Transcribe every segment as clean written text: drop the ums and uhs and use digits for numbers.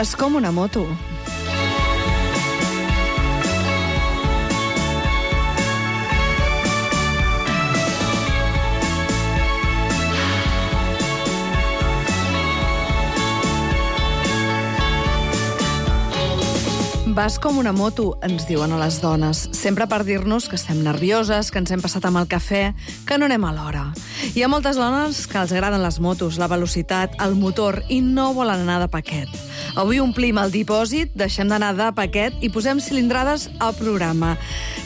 Vas com una moto. Vas com una moto, ens diuen a les dones, sempre per dir-nos que estem nervioses, que ens hem passat amb el cafè, que no anem a l'hora. Hi ha moltes dones que els agraden les motos, la velocitat, el motor, i no volen anar de paquet. Avui omplim el dipòsit, deixem d'anar de paquet i posem cilindrades al programa.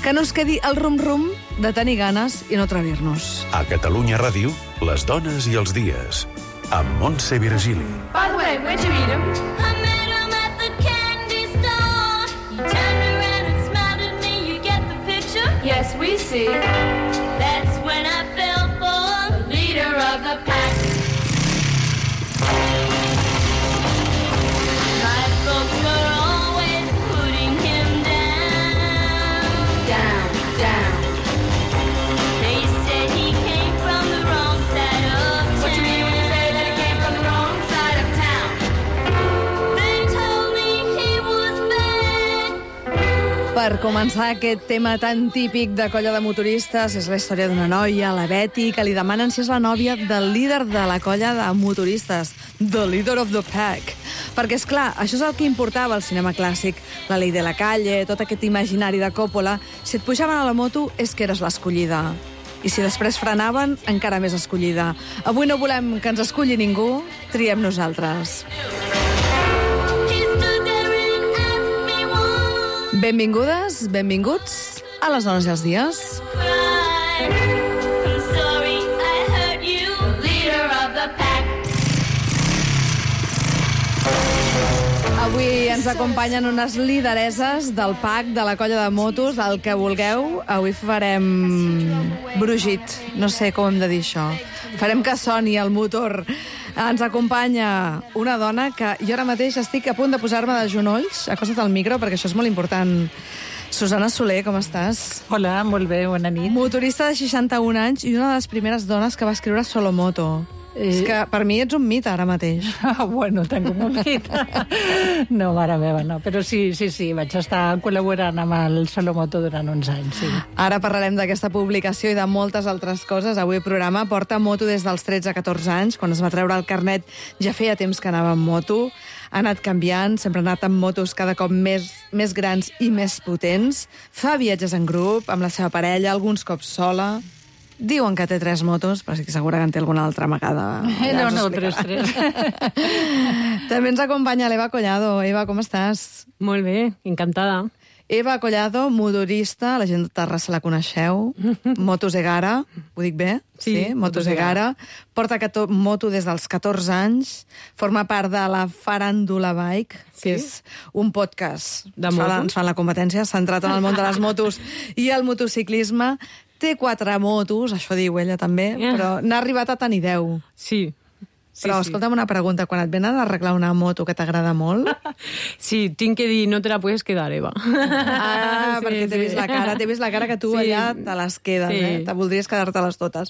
Que no es quedi el rum-rum de tenir ganes i no atrevir-nos. A Catalunya Ràdio, les dones i els dies, amb Montse Virgili. By the way, where'd you meet him? Yes, we see. That's when I fell for the leader of the pack. My folks were always putting him down. Down, down. They said he came from the wrong side of town. What you mean when you say that he came from the wrong side of town? They told me he was bad. Per començar aquest tema tan típic de colla de motoristes, és la història d'una noia, la Betty, que li demanen si és la nòvia del líder de la colla de motoristes, the leader of the pack. Perquè, és clar, això és el que importava al cinema clàssic, la Ley de la Calle, tot aquest imaginari de Coppola. Si et pujaven a la moto, és que eres l'escollida. I si després frenaven, encara més escollida. Avui no volem que ens escolli ningú, triem nosaltres. Benvingudes, benvinguts a les dones i els dies. Avui ens acompanyen unes lidereses del PAC, de la colla de motos, el que vulgueu. Avui farem brugit, no sé com hem de dir això. Farem que soni el motor. Ens acompanya una dona que jo ara mateix estic a punt de posar-me de genolls, acosta't al micro, perquè això és molt important. Susana Soler, com estàs? Hola, molt bé, bona nit. Motorista de 61 anys i una de les primeres dones que va escriure Solomoto. És que per mi ets un mite ara mateix. Bueno, tengo un mite. No, mare meva, no. Però sí, vaig estar col·laborant amb el Solomoto durant uns anys, sí. Ara parlarem d'aquesta publicació i de moltes altres coses. Avui el programa porta moto des dels 13 a 14 anys. Quan es va treure el carnet ja feia temps que anava amb moto. Ha anat canviant, sempre ha anat amb motos cada cop més grans i més potents. Fa viatges en grup, amb la seva parella, alguns cops sola. Diuen que té 3 motos, però estic segura que en té alguna altra amagada. Ja no, 3. També ens acompanya l'Eva Collado. Eva, com estàs? Molt bé, encantada. Eva Collado, motorista, la gent de Terrassa la coneixeu. Motos Egara, ho dic bé? Sí, Motos Egara. Porta moto des dels 14 anys. Forma part de la Faràndula Bike, que és un podcast. De motos? Ens fan la competència, centrat en el món de les motos i el motociclisme. Té 4 motos, això diu ella també, però n'ha arribat a tenir 10. Sí. Però escolta'm una pregunta, quan et venen a arreglar una moto que t'agrada molt... Sí, tinc que dir, no te la puedes quedar, Eva. Ah, perquè t'he vist la cara que tu allà te les quedes, Te voldries quedar-te-les totes.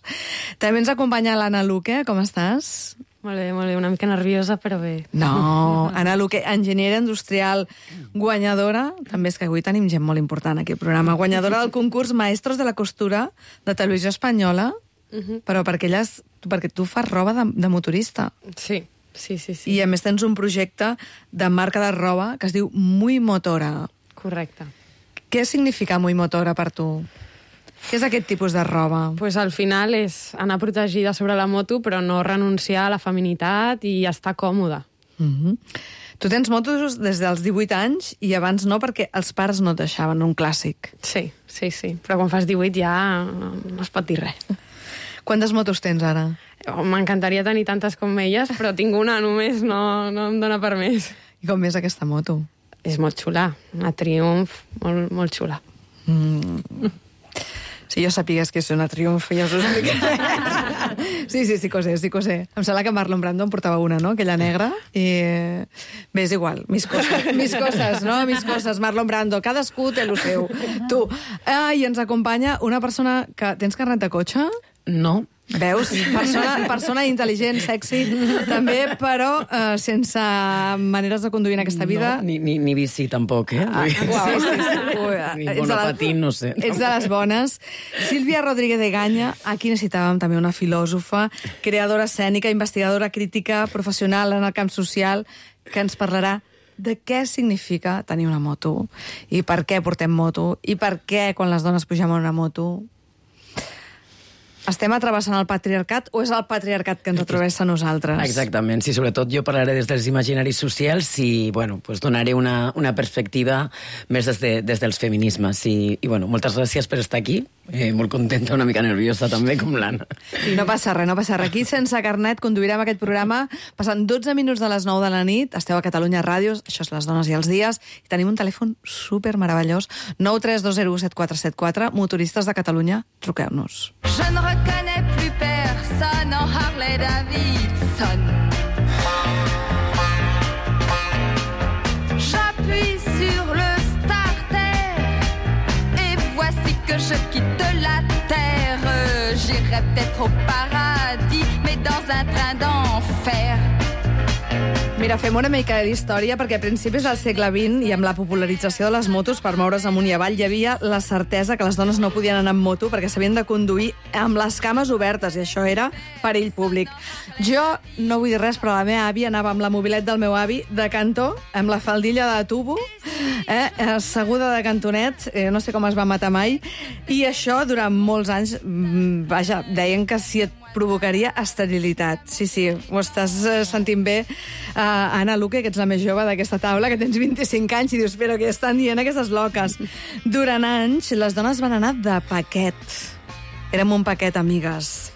També ens acompanya l'Anna Luque, com estàs? Molt bé, una mica nerviosa, però bé. No, Anna Luque, enginyera industrial, guanyadora, també és que avui tenim gent molt important aquí al programa, guanyadora del concurs Maestros de la Costura de Televisió Espanyola, però perquè tu fas roba de motorista. Sí. I a més tens un projecte de marca de roba que es diu Muy Motora. Correcte. Què significa Muy Motora per tu? Què és aquest tipus de roba? Pues al final és anar protegida sobre la moto, però no renunciar a la feminitat i estar còmoda. Tu tens motos des dels 18 anys i abans no, perquè els pares no et deixaven, un clàssic. Sí. Però quan fas 18 ja no es pot dir res. Quantes motos tens ara? M'encantaria tenir tantes com elles, però tinc una només, no em dóna per més. I com és aquesta moto? És molt xula, una Triumph, molt xula. Si jo sapigués que és una Triumph, ja us ho explicaré. Sí que ho sé. Em sembla que Marlon Brando en portava una, no?, aquella negra. I bé, és igual, mis coses, Marlon Brando. Cadascú té el seu. Tu. I ens acompanya una persona que... Tens carnet de cotxe? No. Veus? Persona intel·ligent, sexy, també, però sense maneres de conduir en aquesta vida. No, ni bici tampoc, eh? Ni monopatín, no sé. Ets de les bones. Sílvia Rodríguez de Gaña, aquí necessitàvem també una filòsofa, creadora escènica, investigadora crítica, professional en el camp social, que ens parlarà de què significa tenir una moto, i per què portem moto, i per què quan les dones pugem a una moto estem travessant el patriarcat o és el patriarcat que ens travessa a nosaltres? Exactament, sí, sobretot jo parlaré des dels imaginaris socials i, bueno, pues donaré una perspectiva més des dels feminismes. I bueno, moltes gràcies per estar aquí. Molt contenta, una mica nerviosa també, com l'Anna. I no passa res, no passa res. Aquí, sense carnet, conduirem aquest programa passant 12 minuts de les 9 de la nit. Esteu a Catalunya Ràdio, això és Les Dones i els Dies, i tenim un telèfon super meravellós, 932017474, motoristes de Catalunya, truqueu-nos. Je ne reconnais plus personne en Harley Davidson. J'appuie sur le starter et voici que je quitte la terre. J'irai peut-être au paradis, mais dans un train d'enfer. Mira, fem una mica d'història, perquè a principis del segle XX i amb la popularització de les motos per moure's amunt i avall hi havia la certesa que les dones no podien anar amb moto perquè s'havien de conduir amb les cames obertes, i això era perill públic. Jo no vull dir res, però la meva àvia anava amb la mobilet del meu avi de cantó, amb la faldilla de tubo, asseguda de cantonet, no sé com es va matar mai, i això durant molts anys, vaja, deien que si et provocaria esterilitat. Sí, ho estàs sentint bé. Anna Luque, que ets la més jove d'aquesta taula, que tens 25 anys, i dius, però què estan dient aquestes loques? Durant anys, les dones van anar de paquet. Érem un paquet, amigues,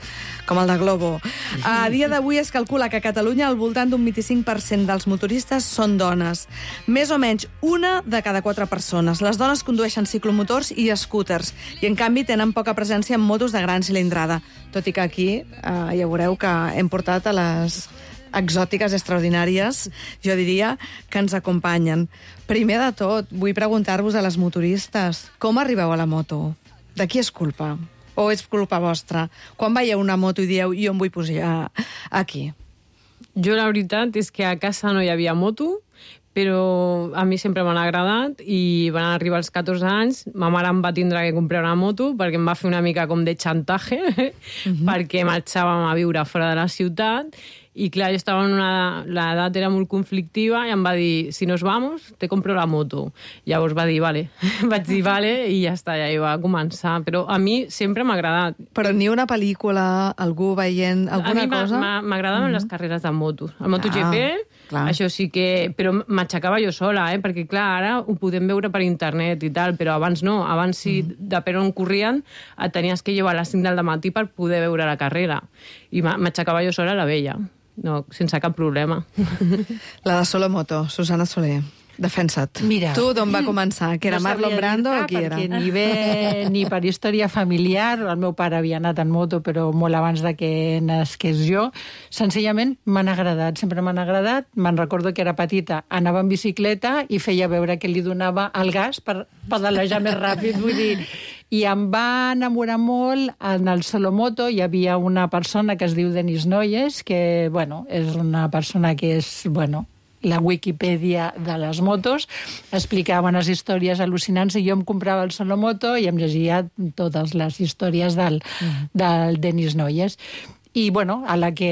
com el de Globo. A dia d'avui es calcula que a Catalunya al voltant d'un 25% dels motoristes són dones. Més o menys una de cada 4 persones. Les dones condueixen ciclomotors i scooters, i en canvi tenen poca presència en motos de gran cilindrada. Tot i que aquí ja veureu que hem portat a les exòtiques extraordinàries, jo diria, que ens acompanyen. Primer de tot, vull preguntar-vos a les motoristes, com arribeu a la moto? De qui és culpa? O és culpa vostra? Quan veieu una moto i dieu, jo em vull pujar aquí? Jo la veritat és que a casa no hi havia moto, però a mi sempre m'han agradat i van arribar als 14 anys, ma mare em va tindre que comprar una moto perquè em va fer una mica com de xantatge, perquè marxàvem a viure fora de la ciutat i clar, jo estava en l'edat era molt conflictiva i em va dir, si nos vamos, te compro la moto. Llavors va dir, vale. Vaig dir, vale, i ja està, ja hi va començar. Però a mi sempre m'ha agradat. Però ni una pel·lícula, algú veient alguna cosa? A mi m'agradaven les carreres de motos. El MotoGP, això sí que... Però m'aixecava jo sola, perquè clar, ara ho podem veure per internet i tal, però abans no. Abans, si depèn on corrien, et tenies que llevar a les 5 del matí per poder veure la carrera. I m'aixecava jo sola a la vella. No, sense cap problema. La de Solomoto, Susana Soler. Defensa't. Mira, tu d'on va començar? Que era Marlon Brando o qui era? Perquè ni per història familiar, el meu pare havia anat en moto, però molt abans de que nasqués jo. Senzillament m'han agradat, sempre m'han agradat. Me'n recordo que era petita, anava en bicicleta i feia veure que li donava el gas per pedalejar més ràpid, vull dir... I em va enamorar molt en el Solomoto. Hi havia una persona que es diu Denis Noyes, que, bueno, és una persona que és, bueno, la Wikipedia de les motos, explicava unes històries al·lucinants i jo em comprava el Solomoto i em llegia totes les històries del Denis Noyes. I, bueno, a la que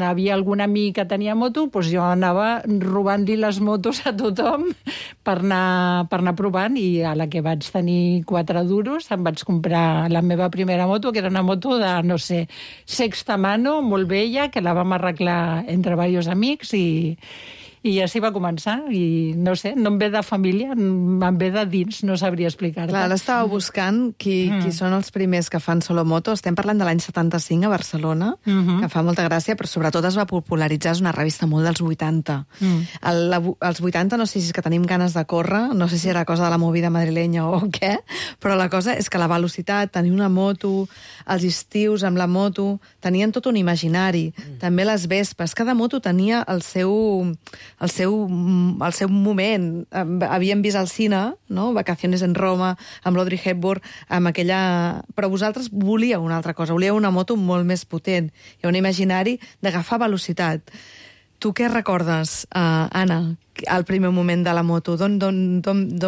havia algun amic que tenia moto, doncs jo anava robant-li les motos a tothom per anar provant, i a la que vaig tenir 4 duros em vaig comprar la meva primera moto, que era una moto de, no sé, sexta mano, molt vella, que la vam arreglar entre diversos amics i així va començar. I no sé, no em ve de família, em ve de dins, no sabria explicar-te. Clar, ara estava buscant qui són els primers que fan Solomoto. Estem parlant de l'any 75 a Barcelona, que fa molta gràcia, però sobretot es va popularitzar, és una revista molt dels 80. Als 80 no sé si és que tenim ganes de córrer, no sé si era cosa de la movida madrilenya o què, però la cosa és que la velocitat, tenir una moto, els estius amb la moto, tenien tot un imaginari. També les vespes, cada moto tenia el seu el seu moment. Havíem vist al cine, no? Vacaciones en Roma, amb l'Audrey Hepburn, amb aquella... Però vosaltres volíeu una altra cosa, volíeu una moto molt més potent. Hi ha un imaginari d'agafar velocitat. Tu què recordes, Anna, al primer moment de la moto? D'on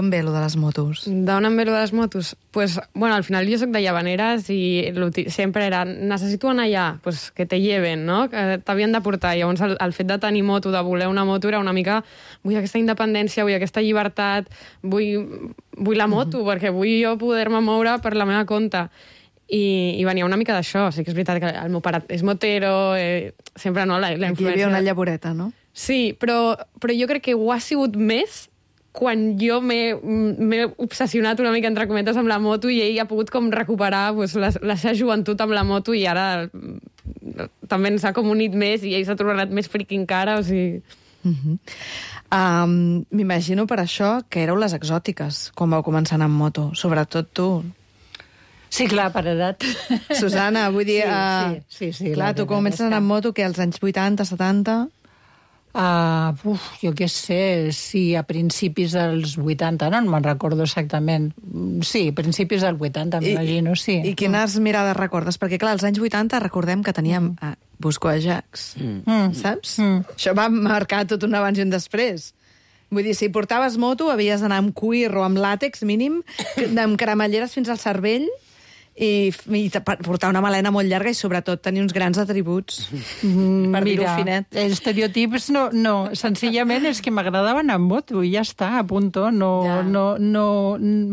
ve lo de les motos? D'on em ve lo de les motos? Pues, bueno, al final jo soc de Llavaneres i sempre era, necessito anar allà, pues que te lleven, no? Que t'havien de portar. Llavors el fet de tenir moto, de voler una moto, era una mica, vull aquesta independència, vull aquesta llibertat, vull la moto, perquè vull jo poder-me moure per la meva compte. I venia una mica d'això. Sí que és veritat que el meu pare és motero, sempre no, la influència... Aquí hi havia una llavoreta, no? Sí, però jo crec que ho ha sigut més quan jo m'he obsessionat una mica, entre cometes, amb la moto i ell ha pogut com recuperar pues, la seva joventut amb la moto i ara també ens ha com unit més i ell s'ha tornat més friqui encara, o sigui... M'imagino per això que éreu les exòtiques quan vau començar a anar amb moto, sobretot tu. Sí, clar, per edat. Susana, vull dir... Sí. Clar, tu comences a anar amb moto, que als anys 80, 70... jo què sé, sí, a principis dels 80, no me'n recordo exactament. Sí, principis dels 80, m'imagino, sí. I quines mirades recordes? Perquè, clar, als anys 80 recordem que teníem Busco Ajax, saps? Això va marcar tot un abans i un després. Vull dir, si portaves moto, havies d'anar amb cuir o amb làtex mínim, amb cremalleres fins al cervell, i portar una melena molt llarga i sobretot tenir uns grans atributs, per dir-ho finet. Estereotips no, senzillament és que m'agradava anar amb moto i ja està, a punto.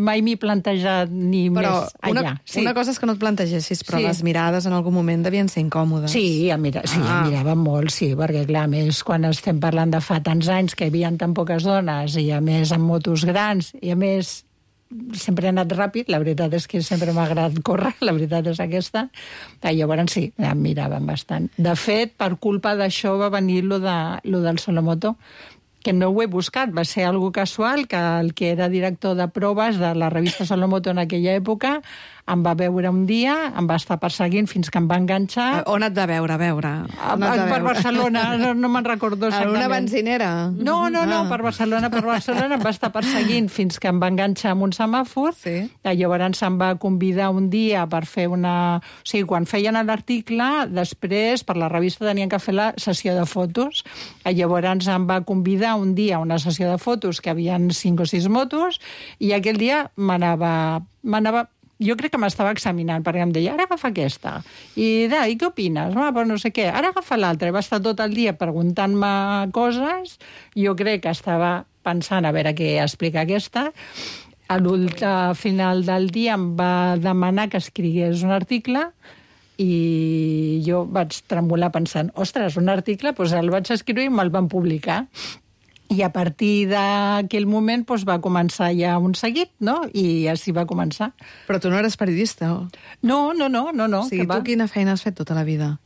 Mai m'he plantejat ni més allà. Una cosa és que no et plantegessis, però les mirades en algun moment devien ser incòmodes. Sí, em mirava molt, sí, perquè clar, a més, quan estem parlant de fa tants anys que hi havia tan poques dones i a més amb motos grans i a més sempre he anat ràpid, la veritat és que sempre m'ha agradat córrer, la veritat és aquesta. Llavors sí, em miraven bastant. De fet, per culpa d'això va venir lo del Solomoto, que no ho he buscat, va ser algo casual, que el que era director de proves de la revista Solomoto en aquella època em va veure un dia, em va estar perseguint fins que em va enganxar. On et va veure, Per Barcelona, no me'n recordo exactament. En una benzinera? No, per Barcelona em va estar perseguint fins que em va enganxar amb un semàfor. Sí. Llavors em va convidar un dia per fer una... O sigui, quan feien l'article, després, per la revista tenien que fer la sessió de fotos. Llavors em va convidar un dia a una sessió de fotos que havien 5 o 6 motos i aquell dia m'anava jo crec que m'estava examinant, perquè em deia, ara agafa aquesta. I què opines? Pues no sé què. Ara agafa l'altra. I va estar tot el dia preguntant-me coses. Jo crec que estava pensant a veure què explica aquesta. A final del dia em va demanar que escrigués un article i jo vaig tremolar pensant, ostres, un article, doncs el vaig escriure i me'l van publicar. I a partir d'aquell moment va començar ja un seguit, no? I així va començar. Però tu no eres periodista, o? No. O sigui, tu quina feina has fet tota la vida?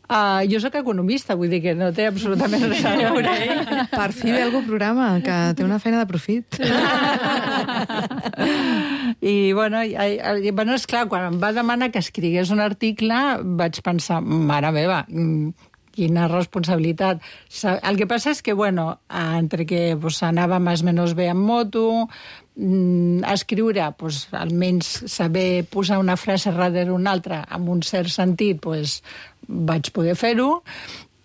Jo sóc economista, vull dir que no té absolutament res a veure. Per fi ve algú programa que té una feina de profit. I, bueno, esclar, quan em va demanar que escrigués un article, vaig pensar, mare meva, quina responsabilitat. El que passa és que, bueno, entre que anava més o menys bé amb moto, escriure, almenys saber posar una frase darrere una altra amb un cert sentit, vaig poder fer-ho.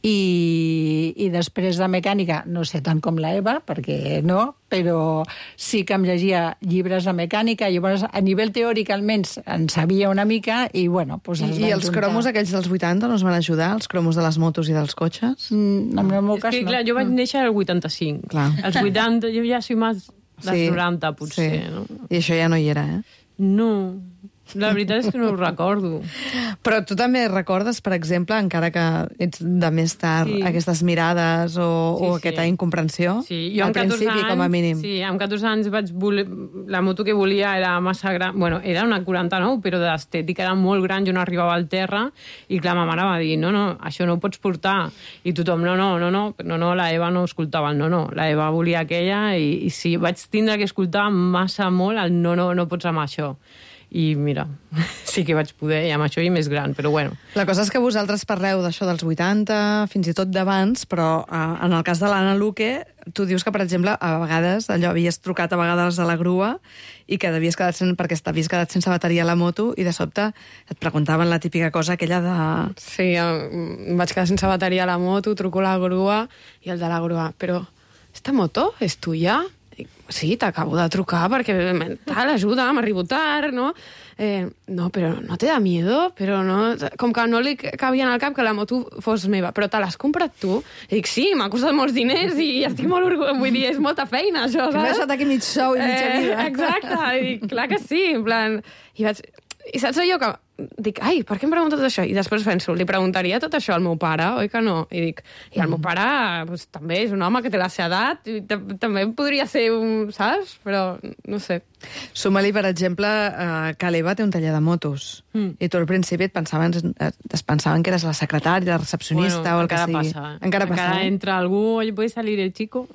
I després de mecànica, no sé tant com la Eva, perquè no, però sí que em llegia llibres de mecànica, llavors a nivell teòric almenys en sabia una mica i bueno... I els cromos aquells dels 80 no us van ajudar, els cromos de les motos i dels cotxes? En el meu cas no. Clar, jo vaig néixer al 85. Clar. Als 80 jo ja soy més dels 90, potser. Sí. No? I això ja no hi era, No. La veritat és que no ho recordo. Però tu també recordes, per exemple, encara que ets de més tard, aquestes mirades o aquesta incomprensió? Sí, jo al principi, anys, com a mínim. Sí, amb 14 anys la moto que volia era massa gran. Bueno, era una 49, però d'estètica era molt gran, jo no arribava al terra, i clar, ma mare va dir, no, això no ho pots portar. I tothom, no, la Eva no escoltava el no, la Eva volia aquella, i sí, vaig tindre que escoltar massa molt el no pots amb això. i mira, sí que vaig poder, i amb això i més gran, però bueno. La cosa és que vosaltres parleu d'això dels 80, fins i tot d'abans, però en el cas de l'Anna Luque, tu dius que, per exemple, a vegades allò havies trucat a vegades a la grua i que t'havies quedat sense bateria a la moto i de sobte et preguntaven la típica cosa aquella de... Sí, em vaig quedar sense bateria a la moto, truco a la grua i el de la grua, però esta moto és tuya? Dic, sí, t'acabo de trucar perquè tal, ajuda, m'arribo tard, no? No, però no te da miedo? Però no... Com que no li cabia en el cap que la moto fos meva. Però te l'has comprat tu? I dic, sí, m'ha costat molts diners i estic molt orgullós. Vull dir, és molta feina, això, Que m'he saps? deixat aquí mig sou i mitja vida. Exacte. I dic, clar que sí, en plan... I saps allò que... Dic, ai, per què em pregunta tot això? I després penso, li preguntaria tot això al meu pare, oi que no? I dic, i el meu pare pues, també és un home que té la seva edat, i també podria ser un... Saps? Però, no sé. Suma-li, per exemple, que l'Eva té un taller de motos. I tu al principi es pensaven que eres la secretària, la recepcionista o el que encara sigui. passa. Encara passa. Encara entra algú, oye, ¿puede salir el chico?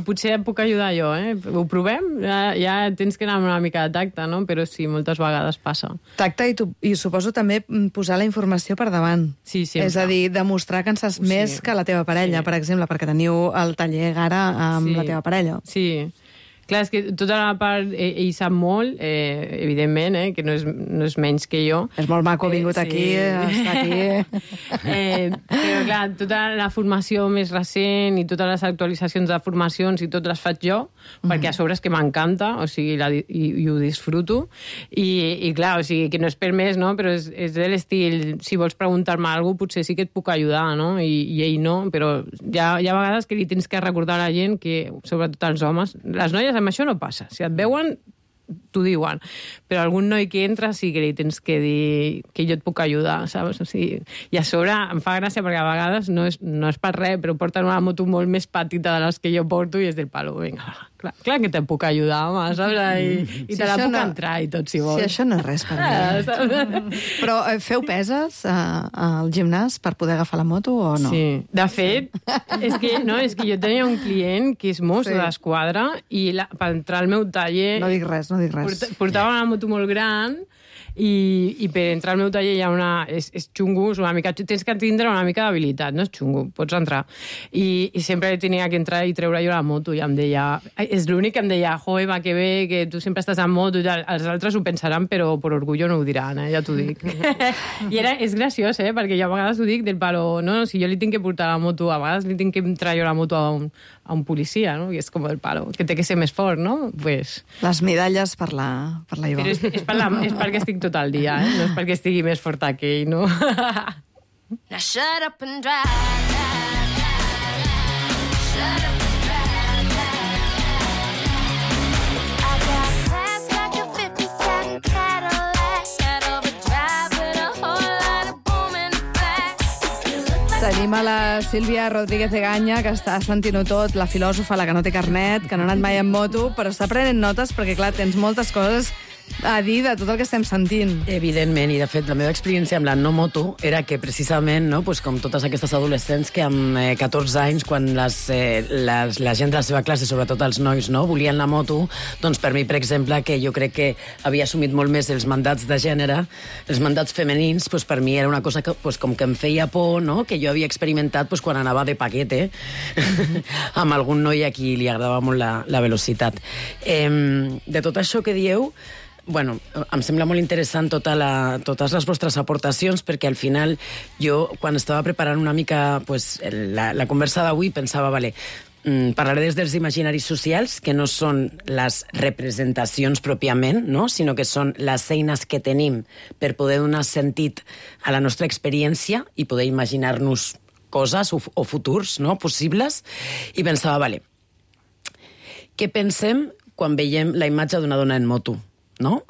Potser em puc ajudar jo, eh? Ho provem? Ja tens que anar amb una mica de tacte, no? Però sí, moltes vegades passa. Tacte i suposo també posar la informació per davant. Sí, sempre. És a dir, demostrar que en saps més que la teva parella, per exemple, perquè teniu el taller Gara amb la teva parella. Sí. Clar, és que tota la part... Ell sap molt, evidentment, que no és menys que jo. És molt maco, ha vingut aquí, està aquí. Però, clar, tota la formació més recent i totes les actualitzacions de formacions i tot les faig jo, perquè a sobre és que m'encanta, o sigui, i ho disfruto. I clar, o sigui, que no és per més, no? Però és de l'estil, si vols preguntar-me alguna cosa, potser sí que et puc ajudar, no? I ell no, però hi ha vegades que li tens que recordar a la gent que, sobretot als homes, les noies amb això no passa. Si et veuen, t'ho diuen. Però algun noi que entra sí que li tens que dir que jo et puc ajudar, saps? O sigui, i a sobre em fa gràcia perquè a vegades no és per res, però porten una moto molt més petita de les que jo porto i és del palo, vinga, clar que te puc ajudar, home, saps? I te la puc entrar i tot, si vols. Si això no és res per mi. Però feu peses al gimnàs per poder agafar la moto o no? Sí. De fet, és que jo tenia un client que és mosso d'esquadra i per entrar al meu taller... No dic res. Portava una moto molt gran i per entrar al meu taller hi ha és xungo, és una mica, tens que tindre una mica d'habilitat, no és xungo, pots entrar. I sempre tenia que entrar i treure jo la moto i em deia, és l'únic que em deia, joe, va, que bé, que tu sempre estàs en moto i tal. Els altres ho pensaran, però per orgullo no ho diran, ja t'ho dic. I és graciós, perquè jo a vegades ho dic del palo, no, si jo li tinc que portar la moto, a vegades li tinc que entrar jo la moto a un policia, no? I és com el palo, que té que ser més fort, no? Pues... Les medalles per la Iva. Però és perquè estic tot el dia, no és perquè estigui més forta que ell, no? Now shut up and drive. Shut up and drive. I got class like a 57 Cadillac. Got overdrive with a whole lot of boom in the back. Tenim a la Sílvia Rodríguez Eganya, que està sentint-ho tot, la filòsofa, la que no té carnet, que no ha anat mai en moto, però està prenent notes perquè, clar, tens moltes coses a dir de tot el que estem sentint. Evidentment, i de fet la meva experiència amb la no moto era que precisament, no, pues, com totes aquestes adolescents que amb 14 anys, quan la gent de la seva classe, sobretot els nois, no, volien la moto, doncs per mi, per exemple, que jo crec que havia assumit molt més els mandats de gènere, els mandats femenins, pues, per mi era una cosa que, pues, com que em feia por, no, que jo havia experimentat pues, quan anava de paquete amb algun noi a qui li agradava molt la velocitat. De tot això que dieu, bueno, em sembla molt interessant totes les vostres aportacions, perquè al final jo, quan estava preparant una mica pues, la conversa d'avui, pensava, vale, parlaré des dels imaginaris socials, que no són les representacions pròpiament, no? Sinó que són les eines que tenim per poder donar sentit a la nostra experiència i poder imaginar-nos coses o futurs, no?, possibles. I pensava, vale, què pensem quan veiem la imatge d'una dona en moto? No?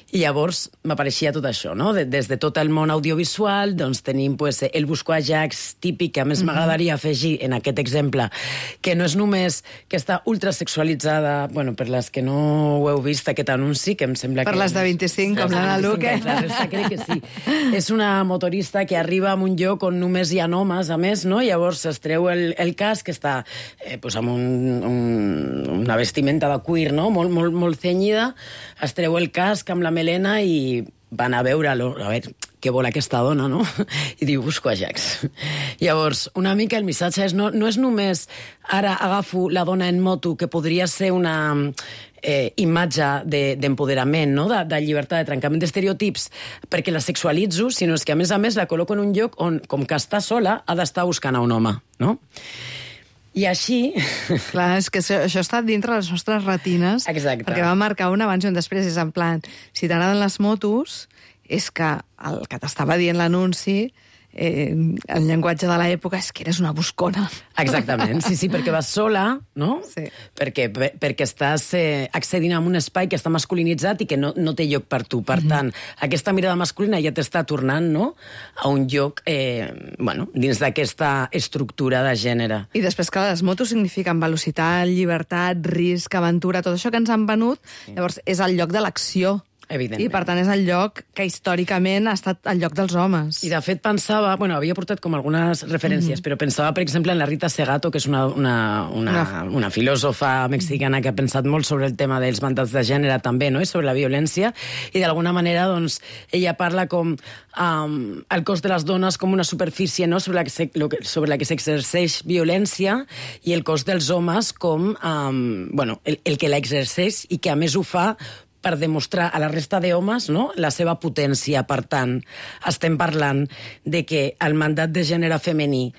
I llavors m'apareixia tot això, no? Des de tot el món audiovisual, doncs tenim pues, el buscoajacs típic, que a més m'agradaria afegir en aquest exemple, que no és només que està ultrasexualitzada, bueno, per les que no ho heu vist, aquest anunci, que em sembla per que... Per les de 25, com l'Anna Luque. La resta crec que sí. És una motorista que arriba a un lloc on només hi ha homes, a més, no? Llavors es treu el casc, que està pues, amb una vestimenta de cuir, no? Molt cenyida, es treu el casc, casc amb la melena i van a veure-lo, a veure què vol aquesta dona, no? I diu, busco Ajax. Llavors, una mica el missatge és, no és només ara agafo la dona en moto, que podria ser una imatge d'empoderament, no? De llibertat, de trencament d'estereotips, perquè la sexualitzo, sinó que a més la col·loco en un lloc on, com que està sola, ha d'estar buscant a un home, no? I així... Clar, és que això està dintre les nostres retines. Exacte. Perquè va marcar un abans i un després. És en plan, si t'agraden les motos, és que el que t'estava dient l'anunci, el llenguatge de l'època és que eres una buscona. Exactament, sí, perquè vas sola, no? Sí. Perquè estàs accedint a un espai que està masculinitzat i que no té lloc per tu. Per tant, aquesta mirada masculina ja t'està tornant, no?, a un lloc, dins d'aquesta estructura de gènere. I després, clar, les motos signifiquen velocitat, llibertat, risc, aventura, tot això que ens han venut, llavors és el lloc de l'acció. Evidentment. I, per tant, és el lloc que històricament ha estat el lloc dels homes. I, de fet, pensava... havia portat com algunes referències, però pensava, per exemple, en la Rita Segato, que és una filòsofa mexicana que ha pensat molt sobre el tema dels mandats de gènere també, no?, i sobre la violència, i d'alguna manera, doncs, ella parla com el cos de les dones com una superfície, no?, sobre la que s'exerceix violència, i el cos dels homes com el que l'exerceix i que, a més, ho fa per demostrar a la resta d'homes, no?, la seva potència. Per tant, estem parlant de que el mandat de gènere femení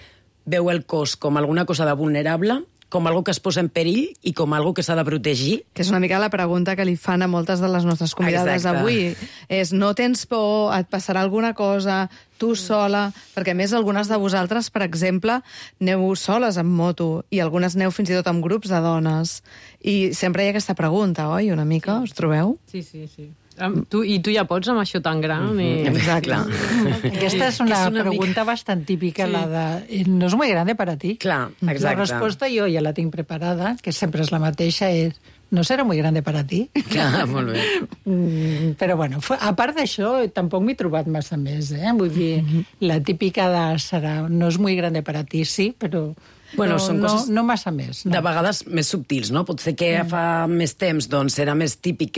veu el cos com alguna cosa de vulnerable, com algo que es posa en perill i com algo que s'ha de protegir. Que és una mica la pregunta que li fan a moltes de les nostres convidades avui. És, no tens por, et passarà alguna cosa, tu sola, perquè a més algunes de vosaltres, per exemple, aneu soles en moto i algunes aneu fins i tot amb grups de dones. I sempre hi ha aquesta pregunta, oi? Una mica, us trobeu? Sí. Tu ja pots amb això tan gran. Exacte. Aquesta és una pregunta bastant típica, la de no és molt grande per a ti. Clar, exacte. La resposta jo ja la tinc preparada, que sempre és la mateixa, és no serà molt grande per a ti. Clar, molt bé. Però, bueno, a part d'això, tampoc m'he trobat massa més, Vull dir, la típica de no és molt grande per a ti, sí, però... Són coses no massa més. No. De vegades més subtils, no? Potser que fa més temps doncs, era més típic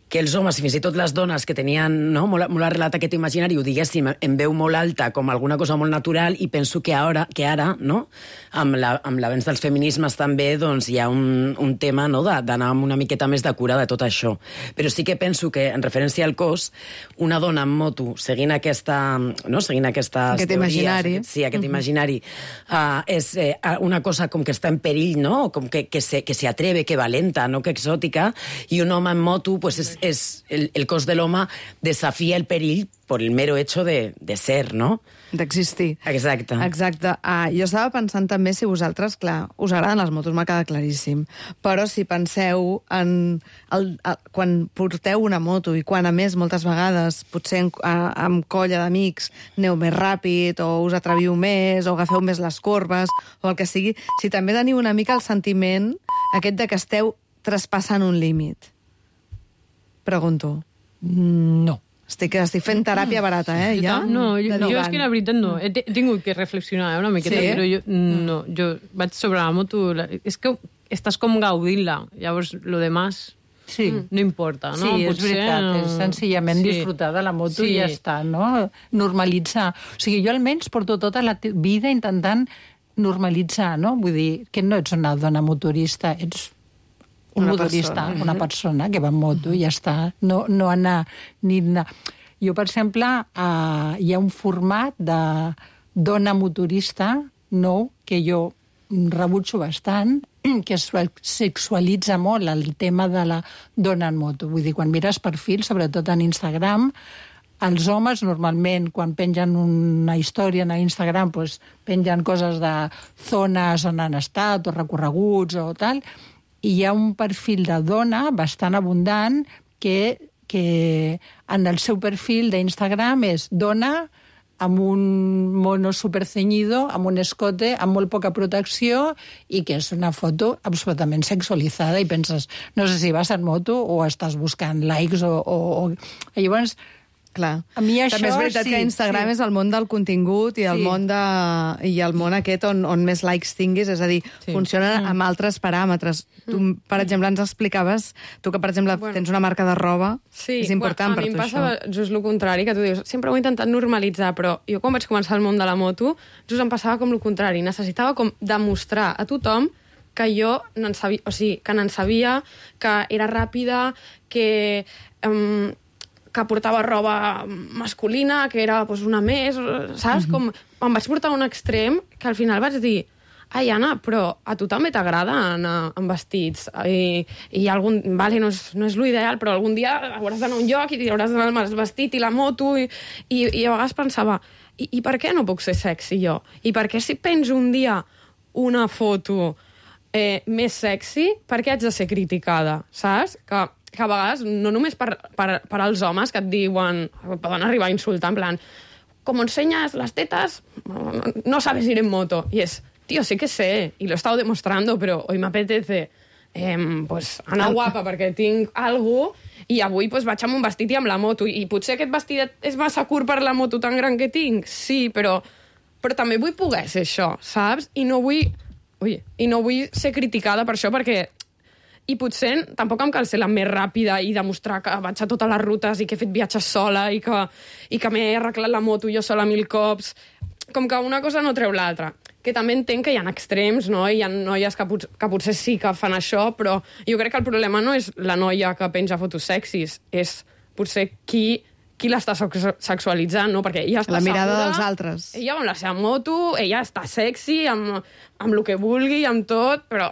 que els homes, i fins i tot les dones que tenien molt arrelat aquest imaginari, ho diguéssim en veu molt alta, com alguna cosa molt natural, i penso que ara no? amb l'avenç dels feminismes també doncs, hi ha un tema, no?, d'anar amb una miqueta més de cura de tot això. Però sí que penso que, en referència al cos, una dona en moto, seguint aquestes aquest imaginari. Sí, aquest imaginari, és una cosa com que està en perill, no?, com que se atreve, que valenta, no?, que exòtica, i un home en moto, pues es el cos de l'home desafia el perill por el mero hecho de ser, no? D'existir. Exacte. Jo estava pensant també si vosaltres, clar, us agraden les motos, m'ha quedat claríssim, però si penseu en quan porteu una moto i quan, a més, moltes vegades, potser amb colla d'amics, aneu més ràpid, o us atreviu més, o agafeu més les corbes, o el que sigui, si també teniu una mica el sentiment aquest de que esteu traspassant un límit. Pregunto. No. Estic fent teràpia barata, ja? Jo és que la veritat no. He tingut que reflexionar una miqueta, però jo vaig sobre la moto... És que estàs com gaudint-la, llavors lo demás no importa, no? Sí, és veritat, és senzillament disfrutar de la moto i ja està, no? Normalitzar. O sigui, jo almenys porto tota la vida intentant normalitzar, no? Vull dir, que no ets una dona motorista, ets una persona que va en moto i ja està. No anar ni anar. Jo, per exemple, hi ha un format de dona motorista nou que jo rebutjo bastant, que es sexualitza molt el tema de la dona en moto. Vull dir, quan mires perfils, sobretot en Instagram, els homes normalment, quan pengen una història en Instagram, doncs pengen coses de zones on han estat, o recorreguts, o tal, i hi ha un perfil de dona bastant abundant que en el seu perfil d'Instagram és dona amb un mono superceñido, amb un escote, amb molt poca protecció, i que és una foto absolutament sexualitzada, i penses, no sé si vas en moto o estàs buscant likes o... Llavors, Clar. A mi això, també és veritat sí, que Instagram sí. és el món del contingut i el Sí. món aquest on més likes tinguis, és a dir, funciona amb altres paràmetres. Tu, per exemple, ens explicaves, tu que, per exemple, tens una marca de roba, és important per a mi tu em passa això. just el contrari, que tu dius, sempre ho he intentat normalitzar, però jo quan vaig començar el món de la moto, just em passava com el contrari, necessitava com demostrar a tothom que jo n'en sabia, o sigui, que n'en sabia, que era ràpida, que portava roba masculina, que era pues, una més, saps? Com em vaig portar a un extrem que al final vaig dir ai, Anna, però a tu també t'agrada anar amb vestits i algun... Vale, no és l'ideal, però algun dia hauràs d'anar a un lloc i hauràs d'anar amb el vestit i la moto i a vegades pensava i per què no puc ser sexy jo? I per què si penjo un dia una foto més sexy, per què haig de ser criticada, saps? Que a vegades, no només per als homes que et diuen, poden arribar a insultar, en plan, com ensenyas las tetas, no sabes ir en moto. Y es, tío, sí que sé, y lo he estado demostrando, pero hoy me apetece pues, anar guapa perquè tinc algo i avui pues, vaig amb un vestit i amb la moto. I potser aquest vestit és massa curt per la moto tan gran que tinc, sí, però també vull poder ser això, saps? I no vull ser criticada per això, perquè i potser tampoc em cal ser la més ràpida i demostrar que vaig a totes les rutes i que he fet viatges sola i que m'he arreglat la moto jo sola 1000 cops. Com que una cosa no treu l'altra. Que també entenc que hi ha extrems, no? Hi ha noies que potser sí que fan això, però jo crec que el problema no és la noia que penja fotos sexis, és potser qui l'està sexualitzant, no? Perquè ella està La mirada segura, dels altres. Ella va amb la seva moto, ella està sexy, amb el que vulgui, amb tot, però...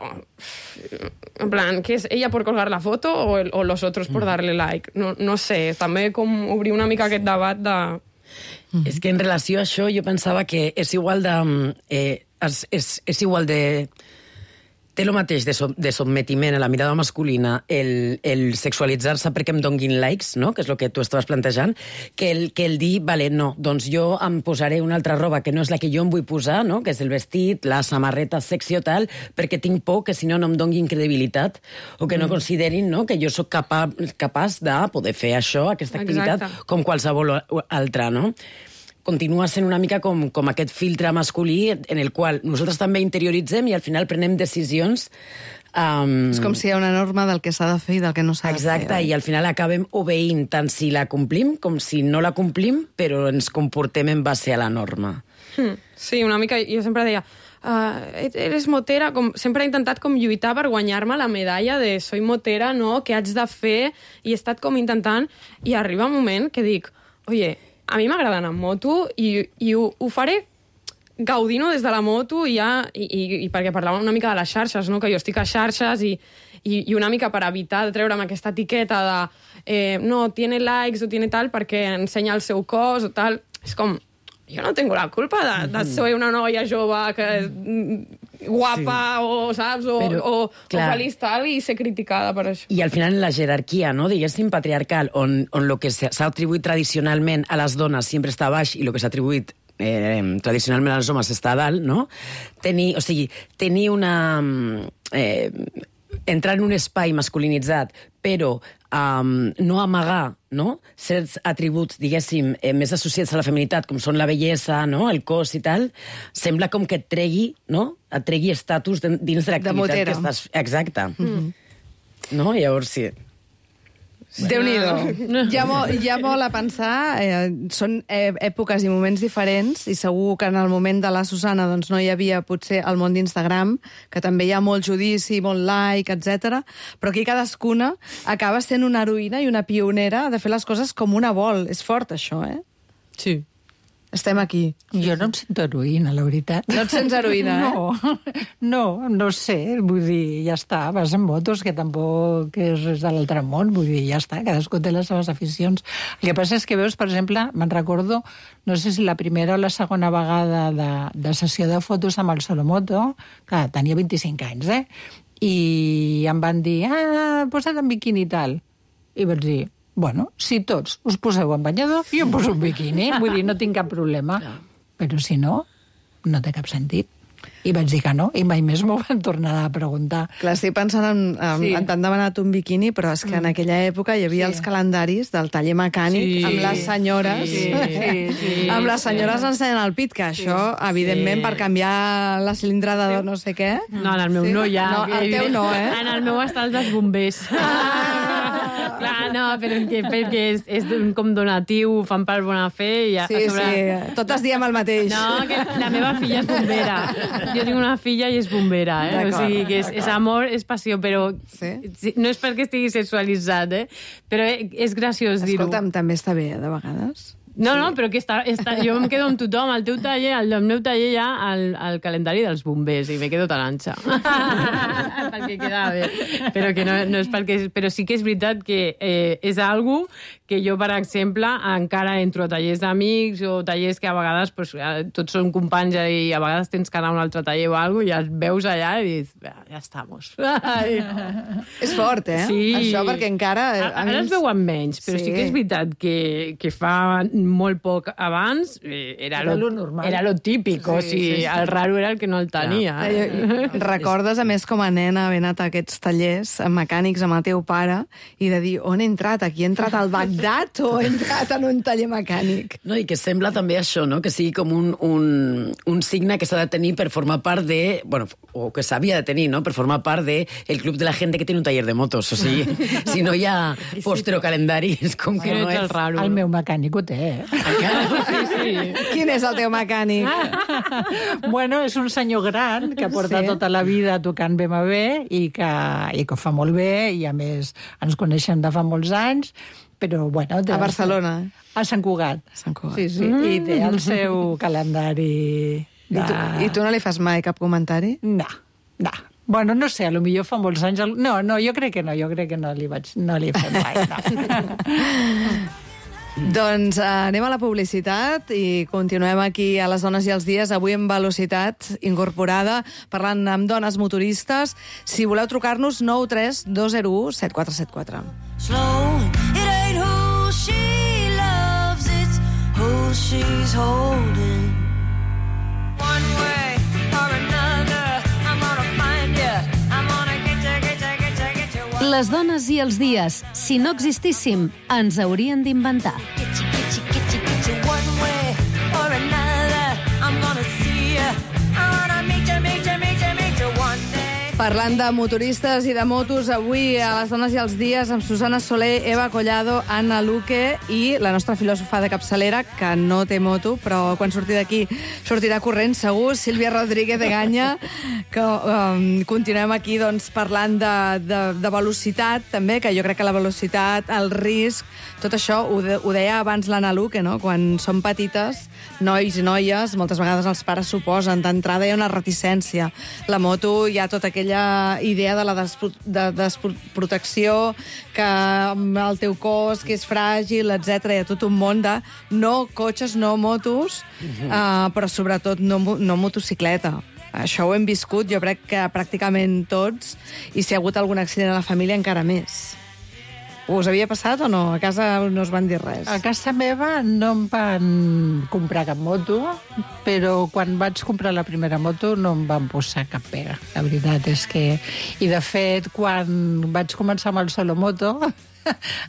En plan, ¿qué es? ¿Ella por colgar la foto o los otros por darle like? No sé, també com obrir una mica aquest debat de... És que en relació a això jo pensava que és igual de... és igual de... Té el mateix de sotmetiment a la mirada masculina, el sexualitzar-se perquè em donguin likes, no? Que és el que tu estaves plantejant, que el dir, vale, no, doncs jo em posaré una altra roba que no és la que jo em vull posar, no? Que és el vestit, la samarreta sexy o tal, perquè tinc por que si no no em donguin credibilitat o que no considerin, no? Que jo sóc capaç de poder fer això, aquesta activitat, Exacte. com qualsevol altra, no? Continua sent una mica com aquest filtre masculí en el qual nosaltres també interioritzem i al final prenem decisions... És com si hi ha una norma del que s'ha de fer i del que no s'ha de fer. Exacte, i al final acabem obeint tant si la complim com si no la complim, però ens comportem en base a la norma. Sí, una mica, jo sempre deia, eres motera, sempre he intentat com lluitar per guanyar-me la medalla de soy motera, no? Què haig de fer? I he estat com intentant, i arriba un moment que dic, oye, a mi m'agrada anar amb moto i ho faré gaudint-ho des de la moto i perquè parlàvem una mica de les xarxes, no? Que jo estic a xarxes i una mica per evitar de treure'm aquesta etiqueta de no, tiene likes o tiene tal perquè ensenya el seu cos o tal. És com, jo no tengo la culpa de ser una noia jove que és guapa o, saps, o feliç tal i ser criticada per això. I al final la jerarquia, no, diguéssim, patriarcal, on lo que s'ha atribuït tradicionalment a les dones sempre està baix i lo que s'ha atribuït tradicionalment als homes està a dalt, no? Tenir una... entrar en un espai masculinitzat, però no amagar, no? Certs atributs, diguéssim, més associats a la feminitat, com són la bellesa, no? El cos i tal, sembla com que et tregui, no? Et tregui estatus dins de l'activitat que estàs... Exacte. No? Llavors, sí. Déu-n'hi-do. Hi ha molt a pensar. Són èpoques i moments diferents i segur que en el moment de la Susana doncs, no hi havia potser el món d'Instagram, que també hi ha molt judici, molt like, etc. Però aquí cadascuna acaba sent una heroïna i una pionera de fer les coses com una vol. És fort, això, eh? Sí. Estem aquí. Jo no em sento heroïna, la veritat. No et sents heroïna, No sé, vull dir, ja està, vas en motos, que tampoc és res de l'altre món, vull dir, ja està, cadascú té les seves aficions. El que passa és que veus, per exemple, me'n recordo, no sé si la primera o la segona vegada de sessió de fotos amb el Solomoto, que tenia 25 anys, i em van dir, posa't en biquini i tal. I vaig dir, bueno, si tots us poseu en banyador, jo em poso un biquini, vull dir, no tinc cap problema. Però si no, no té cap sentit. I vaig dir que no, i mai més m'ho van tornar a preguntar. Clar, estic pensant en t'han demanat un biquini, però és que en aquella època hi havia els calendaris del taller mecànic amb les senyores. Amb les senyores ensenyant el pit, que això, evidentment, per canviar la cilindrada de no sé què... No, en el meu no hi ha. No, el teu no, eh? En el meu està el dels bombers. Clar, no, però perquè és com donatiu, fan per bona fe. I Sí, totes diem el mateix. No, que la meva filla és bombera. Jo tinc una filla i és bombera, eh? O sigui, que és amor, és passió, però no és perquè estigui sexualitzat, eh? Però és graciós dir-ho. Escolta'm, també està bé, de vegades. No, però que jo em quedo amb tothom. Al teu taller, al meu taller hi ha el calendari dels bombers i me quedo tan anxa. Perquè queda bé. Però que no és perquè... Però sí que és veritat que és algo que jo, per exemple, encara entro a tallers d'amics o tallers que a vegades pues, tots són companys i a vegades tens que anar a un altre taller o alguna cosa i els veus allà i dius, ja estamos. És fort, eh? Sí. Això, perquè encara... Ara es veuen menys, però sí que és veritat que fa molt poc abans era lo normal. Era lo típic, o sigui, el raro era el que no el tenia. Recordes, a més, com a nena, haver anat a aquests tallers mecànics amb el teu pare i de dir, on he entrat? Aquí he entrat al Bagdad o he entrat en un taller mecànic? No, i que sembla també això, no? Que sigui com un signe que s'ha de tenir per formar part de... Bueno, o que s'havia de tenir, no? Per formar part del club de la gent que té un taller de motos. O sigui, si no hi ha póster o calendari, és com que no és... El raro. El meu mecànic ho té, eh? Sí. Quin és el teu mecànic? Bueno, és un senyor gran que porta tota la vida tocant BMW i que ho fa molt bé i, a més, ens coneixem de fa molts anys, però, bueno... A Barcelona? A Sant Cugat. Sant Cugat. Sí. I té el seu calendari... I tu no li fas mai cap comentari? No. Bueno, no sé, potser fa molts anys... No, jo crec que no li he fet mai, no. Doncs anem a la publicitat i continuem aquí a Les Dones i els Dies, avui en velocitat incorporada, parlant amb dones motoristes. Si voleu trucar-nos, 9 3 2 0 1 7 4 7 4. Slow, it ain't who she loves, it's who she's holding. One way or another, I'm gonna find you, I'm gonna get you. Les dones i els dies, si no existíssim, ens haurien d'inventar. Get you one way or another, I'm gonna see you, I'm gonna meet you one day. Parlant de motoristes i de motos, avui a Les Dones i els Dies amb Susana Soler, Eva Collado, Anna Luque i la nostra filòsofa de capçalera, que no té moto, però quan surti d'aquí sortirà corrent, segur, Sílvia Rodríguez de Ganya, que continuem aquí doncs, parlant de velocitat, també, que jo crec que la velocitat, el risc, tot això ho deia abans l'Anna Luque, no? Quan som petites, nois i noies, moltes vegades els pares s'oposen, d'entrada hi ha una reticència. La moto hi ha tota aquella idea de la desprotecció, que el teu cos, que és fràgil, etc. Hi ha tot un món de no cotxes, no motos, però sobretot no motocicleta. Això ho hem viscut, jo crec que pràcticament tots, i si ha hagut algun accident a la família, encara més. Us havia passat o no? A casa no us van dir res? A casa meva no em van comprar cap moto, però quan vaig comprar la primera moto no em van posar cap pega. La veritat és que... I, de fet, quan vaig començar amb el Solomoto,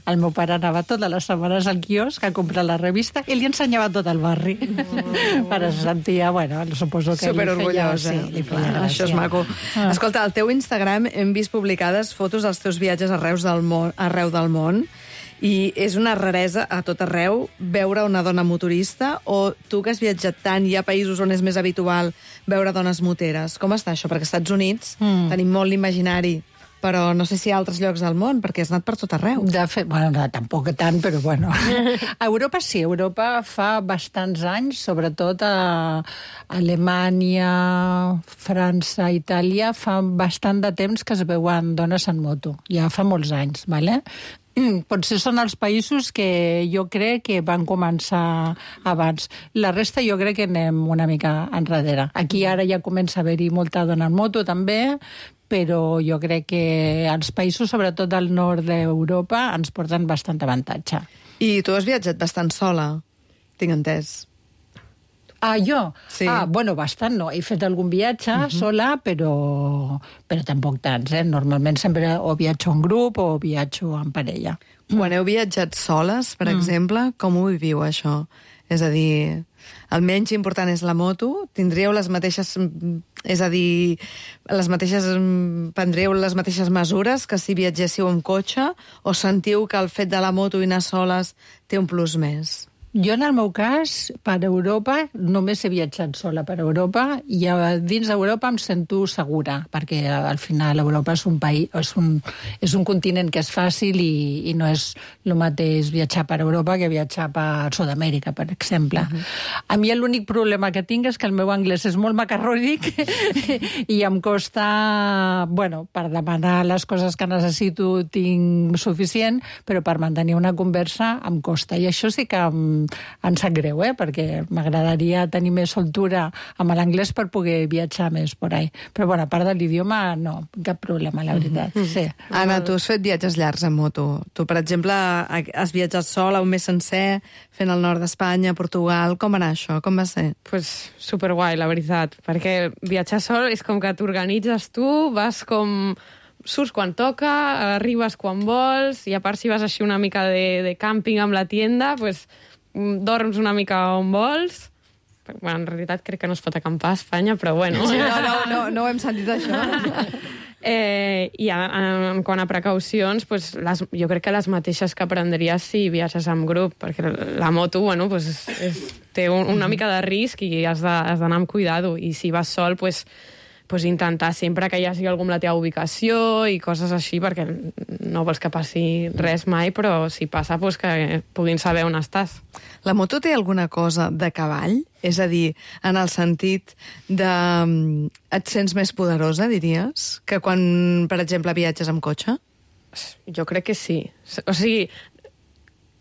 el meu pare anava totes les setmanes al quiosc a comprar la revista i li ensenyava tot el barri. Però se sentia, bueno, suposo que superorgullós, li feia gràcia. Això és maco. Escolta, al teu Instagram hem vist publicades fotos dels teus viatges arreu del món, i és una raresa a tot arreu veure una dona motorista, o tu que has viatjat tant, hi ha països on és més habitual veure dones moteres. Com està això? Perquè als Estats Units tenim molt l'imaginari, però no sé si hi ha altres llocs del món, perquè has anat per tot arreu. De fet, bueno, no, tampoc tant, però bueno. A Europa sí, Europa fa bastants anys, sobretot a Alemanya, França, Itàlia, fa bastant de temps que es veuen dones en moto. Ja fa molts anys, ¿vale? Potser són els països que jo crec que van començar abans. La resta jo crec que anem una mica enrere. Aquí ara ja comença a haver-hi molta dona en moto també, però jo crec que els països, sobretot del nord d'Europa, ens porten bastant avantatge. I tu has viatjat bastant sola, tinc entès. Jo? Sí. Bueno, bastant no. He fet algun viatge sola, però tampoc tants, eh? Normalment sempre o viatjo en grup o viatjo en parella. Quan heu viatjat soles, per exemple, com ho viviu, això? És a dir, el menys important és la moto? Tindríeu les mateixes... És a dir, prendríeu les mateixes mesures que si viatgéssiu amb cotxe? O sentiu que el fet de la moto i anar soles té un plus més? Jo, en el meu cas, per Europa, només he viatjat sola per Europa i dins d'Europa em sento segura, perquè al final Europa és un país, és un continent que és fàcil i no és el mateix viatjar per Europa que viatjar per Sud-amèrica, per exemple. A mi l'únic problema que tinc és que el meu anglès és molt macarrònic i em costa, bueno, per demanar les coses que necessito tinc suficient, però per mantenir una conversa em costa. I això sí que em sap greu, perquè m'agradaria tenir més soltura amb l'anglès per poder viatjar més por ahí. Però, bueno, a part de l'idioma, no, cap problema, la veritat. Sí. Anna, tu has fet viatges llargs en moto. Tu, per exemple, has viatjat sola un mes sencer, fent el nord d'Espanya, Portugal. Com va anar això? Com va ser? Pues superguai, la veritat, perquè viatjar sol és com que t'organitzes tu, vas com... surts quan toca, arribes quan vols, i a part si vas així una mica de càmping amb la tienda, pues, dorms una mica on vols. Bueno, en realitat crec que no es pot acampar a Espanya, però bueno. Sí, no ho hem sentit, això. I en quant a precaucions, pues, jo crec que les mateixes que prendries si viatges amb grup, perquè la moto, bueno, pues, té una mica de risc i has d'anar amb cuidado, i si vas sol, pues intentar sempre que hi hagi algú amb la teva ubicació i coses així, perquè no vols que passi res mai, però si passa, pues que puguin saber on estàs. La moto té alguna cosa de cavall? És a dir, en el sentit de... Et sents més poderosa, diries, que quan, per exemple, viatges amb cotxe? Jo crec que sí. O sigui,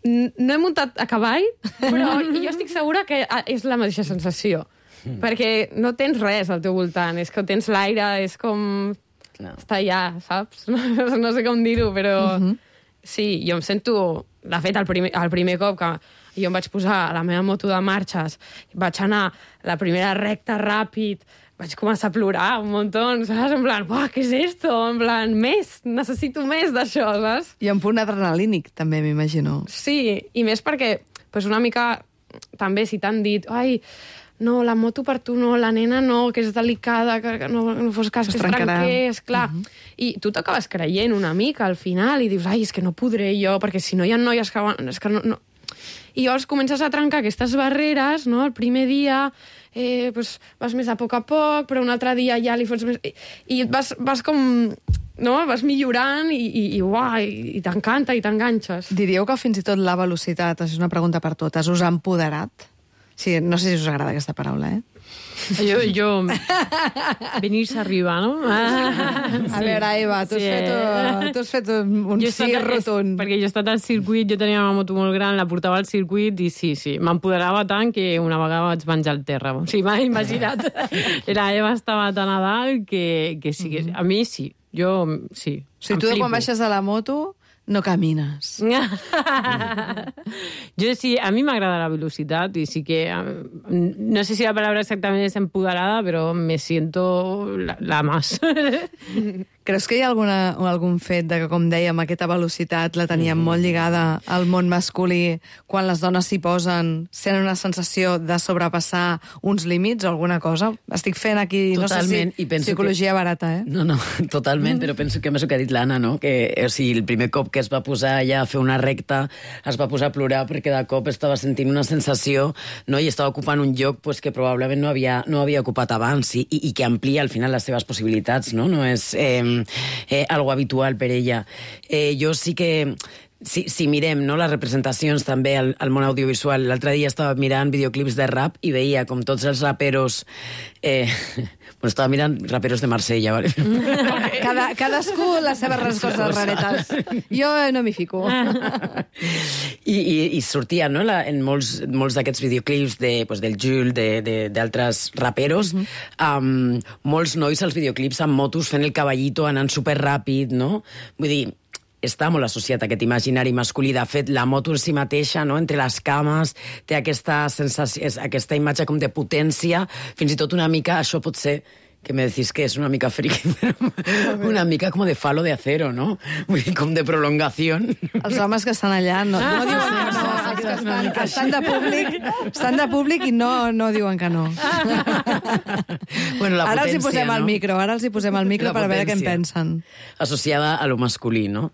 no he muntat a cavall, però jo estic segura que és la mateixa sensació. Perquè no tens res al teu voltant, és que tens l'aire, és com... està allà, saps? No sé com dir-ho, però... Sí, jo em sento... De fet, el primer cop que jo em vaig posar a la meva moto de marxes, vaig anar la primera recta ràpid, vaig començar a plorar un muntó, saps? En plan, uah, què és esto? En plan, més, necessito més d'això, saps? I un punt adrenalínic, també, m'imagino. Sí, i més perquè, pues una mica, també, si t'han dit, ai, no, la moto per tu no, la nena no, que és delicada, que no fos cas que es trenqués, clar. I tu t'acabes creient una mica al final i dius, ai, és que no podré jo, perquè si no hi ha noies que... És que no. I llavors comences a trencar aquestes barreres, no? El primer dia pues, vas més a poc, però un altre dia ja li fots més... I vas com... No? Vas millorant i t'encanta i t'enganxes. Diríeu que fins i tot la velocitat, és una pregunta per totes, us ha empoderat? Sí, no sé si us agrada aquesta paraula, Jo venir-se arriba, no? A veure, Eva, tu has fet un sí rotund. Perquè jo he estat al circuit, jo tenia una moto molt gran, la portava al circuit i sí, m'empoderava tant que una vegada vaig menjar el terra. O sigui, m'ha imaginat. La Eva estava tan a dalt que sí, a mi sí. Jo sí. O sigui, tu quan baixes de la moto no camines. Jo sí, a mi m'agrada la velocitat i sí que, no sé si la palabra exactament és empoderada, però me siento la más. Creus que hi ha algun fet de que, com dèiem, aquesta velocitat la teníem molt lligada al món masculí, quan les dones s'hi posen, sent una sensació de sobrepassar uns límits o alguna cosa? Estic fent aquí, totalment, no sé si psicologia barata, No, totalment, però penso que més el que ha dit l'Anna, no? Que, o sigui, el primer cop que es va posar allà a fer una recta, es va posar a plorar perquè de cop estava sentint una sensació, no? I estava ocupant un lloc pues, que probablement no havia ocupat abans i que amplia al final les seves possibilitats, no? No és algo habitual per ella. Jo sí que... Si mirem, no, les representacions també al món audiovisual, l'altre dia estava mirant videoclips de rap i veia com tots els raperos... Bueno, estava mirant raperos de Marsella, ¿vale? Cadascú les seves respostes raretes. Jo no m'hi fico. I sortia, no?, en molts d'aquests videoclips del Jules, d'altres raperos, molts nois als videoclips amb motos fent el caballito, anant superràpid, no? Vull dir, està molt associat a aquest imaginari masculí. De fet, la moto en si mateixa, no? Entre les cames, té aquesta sensació, aquesta imatge com de potència, fins i tot una mica, això pot ser que me decís que és una mica friki, una mica com de falo de acero, no? Vull dir, com de prolongació. Els homes que estan allà no diuen que no. Estan de públic i no diuen que no. Bueno, la Ara els hi potència, posem al micro, La per veure què en potència. pensen. Associada a lo masculí, no?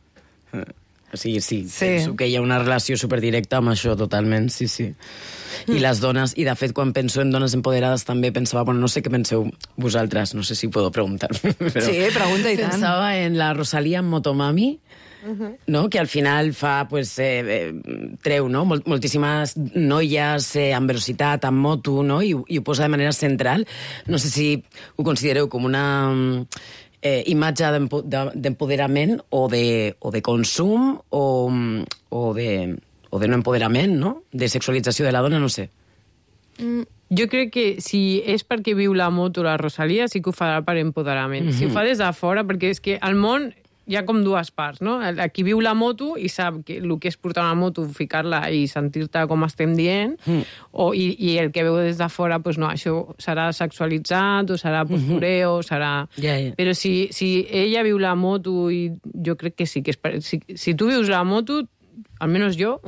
O sigui, sí, penso que hi ha una relació superdirecta amb això, totalment, sí. I les dones, i de fet, quan penso en dones empoderades també pensava, bueno, no sé què penseu vosaltres, no sé si puedo preguntar. Però Sí, pregunta i tant. Pensava en la Rosalía en Motomami, no? Que al final fa, pues, treu, no? Moltíssimes noies amb velocitat, amb moto, no? I ho posa de manera central. No sé si ho considereu com una imatge d'empoderament o de consum o de no empoderament, no? De sexualització de la dona, no sé. Jo crec que si és perquè viu la moto la Rosalía, sí que ho farà per empoderament. Si ho fa des de fora, perquè és que al món hi ha com dues parts, no? Qui viu la moto i sap que el que és portar una moto, ficar-la i sentir-te com estem dient, i el que veu des de fora, pues no, això serà sexualitzat, o serà postureo, serà... Però si ella viu la moto, i jo crec que sí que és... Si tu vius la moto, almenys jo,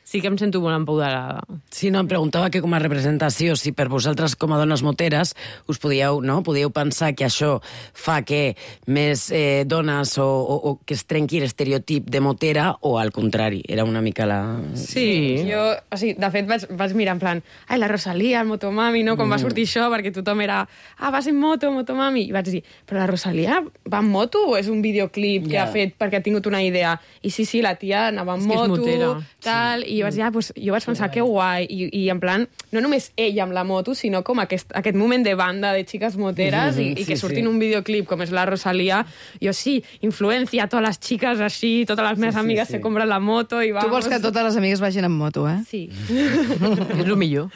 sí que em sento molt empoderada. Sí, no, em preguntava que com a representació, si per vosaltres com a dones moteres us podíeu pensar que això fa que més dones o que es trenqui l'estereotip de motera, o al contrari, era una mica la... Sí. Jo, o sigui, de fet, vaig mirar en plan, ai, la Rosalía, el Motomami, no? Com va sortir això, perquè tothom era, vas en moto, Motomami. I vaig dir, però la Rosalía va en moto o és un videoclip que ha fet perquè ha tingut una idea? I sí, la tia anava en moto, tal, i jo vaig dir, pues, jo vaig pensar, que guai, i en plan, no només ella amb la moto, sinó com aquest moment de banda de xiques moteres, i que surtin un videoclip com és la Rosalía, jo sí, influencia a totes les xiques així, totes les meves amigues se compren la moto i vamos. Tu vols que totes les amigues vagin en moto, eh? Sí. És el millor.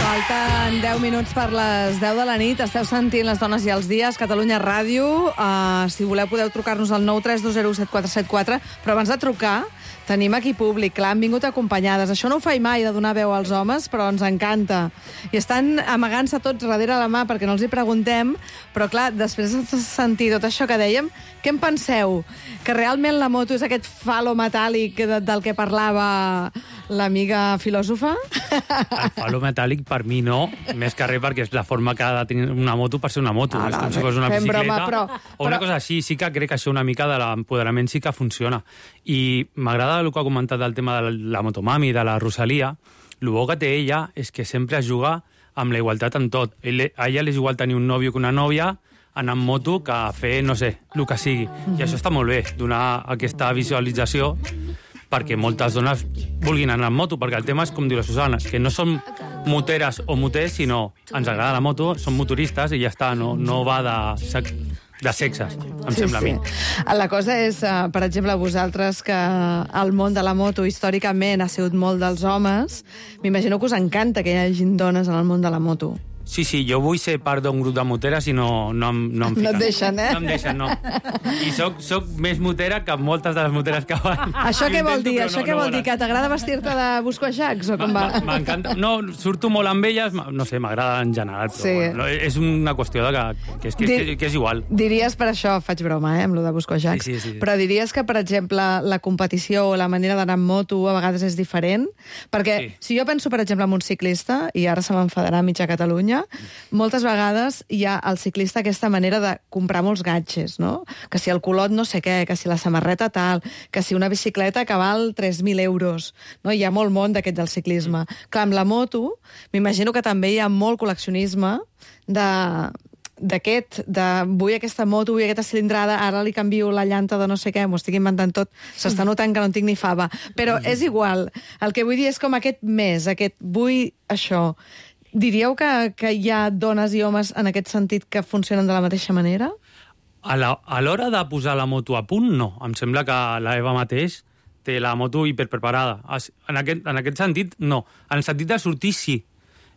Falten 10 minuts per les 10 de la nit. Esteu sentint Les dones i els dies, Catalunya Ràdio. Si voleu podeu trucar-nos al 932017474. Però abans de trucar, tenim aquí públic. Clar, han vingut acompanyades. Això no ho faig mai, de donar veu als homes, però ens encanta. I estan amagant-se tots darrere la mà perquè no els hi preguntem. Però clar, després de sentir tot això que dèiem, què en penseu? Que realment la moto és aquest falo metàl·lic del que parlava l'amiga filòsofa? El falo metàl·lic per mi no, més que res perquè és la forma que ha de tenir una moto per ser una moto. És com si fos una bicicleta o una cosa així. Sí que crec que això una mica de l'empoderament sí que funciona. I m'agrada el que ha comentat del tema de la Motomami, de la Rosalía. El bo que té ella és que sempre es juga amb la igualtat en tot. A ella és igual tenir un nòvio que una nòvia, anar en moto que fer, no sé, el que sigui. I això està molt bé, donar aquesta visualització perquè moltes dones vulguin anar en moto, perquè el tema és, com diu la Susana, que no som moteres o moters, sinó ens agrada la moto, som motoristes i ja està, no va de sexes, em sembla a mi. La cosa és, per exemple, vosaltres, que el món de la moto històricament ha sigut molt dels homes, m'imagino que us encanta que hi hagin dones en el món de la moto. Sí, jo vull ser part d'un grup de moteres i no em fiquen. No et deixen, eh? No em deixen, no. I soc més motera que moltes de les moteres que van. Això què vol dir? Això què vol dir? Que t'agrada vestir-te de buscoixacs o com va? M'encanta. No, surto molt amb elles, no sé, m'agrada en general, però bueno, és una qüestió que és igual. Diries, per això faig broma, amb lo de buscoixacs, sí. Però diries que, per exemple, la competició o la manera d'anar amb moto a vegades és diferent? Perquè si jo penso, per exemple, en un ciclista, i ara se m'enfadarà mitja Catalunya, moltes vegades hi ha al ciclista aquesta manera de comprar molts gadgets, no? Que si el culot no sé què, que si la samarreta tal, que si una bicicleta que val 3.000 euros, no? Hi ha molt món d'aquest del ciclisme. Clar, amb la moto, m'imagino que també hi ha molt col·leccionisme vull aquesta moto, vull aquesta cilindrada, ara li canvio la llanta de no sé què, m'ho estic inventant tot, s'està notant que no en tinc ni fava. Però és igual, el que vull dir és com aquest vull això. Diríeu que hi ha dones i homes en aquest sentit que funcionen de la mateixa manera? A l'hora de posar la moto a punt, no. Em sembla que la Eva mateix té la moto hiperpreparada. En aquest sentit, no. En el sentit de sortir, sí.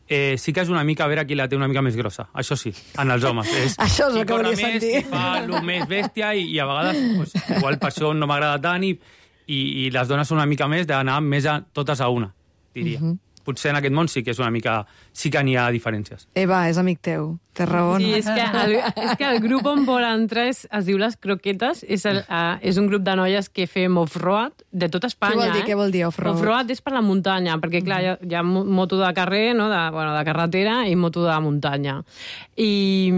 sí que és una mica a veure qui la té una mica més grossa, això sí, en els homes. Això és el qui que corre volia més, sentir. qui fa el més bèstia i a vegades, pues, igual per això no m'agrada tant i les dones són una mica més d'anar més totes a una, diria. Potser en aquest món sí que és una mica... sí que n'hi ha diferències. Eva, és amic teu. Té raó, Sí, no? és que el grup on vol entrar es diu Les Croquetes, és un grup de noies que fem off-road de tot Espanya. Què vol dir off-road? Off-road és per la muntanya, perquè clar, hi ha moto de carrer, no? de carretera, i moto de muntanya. I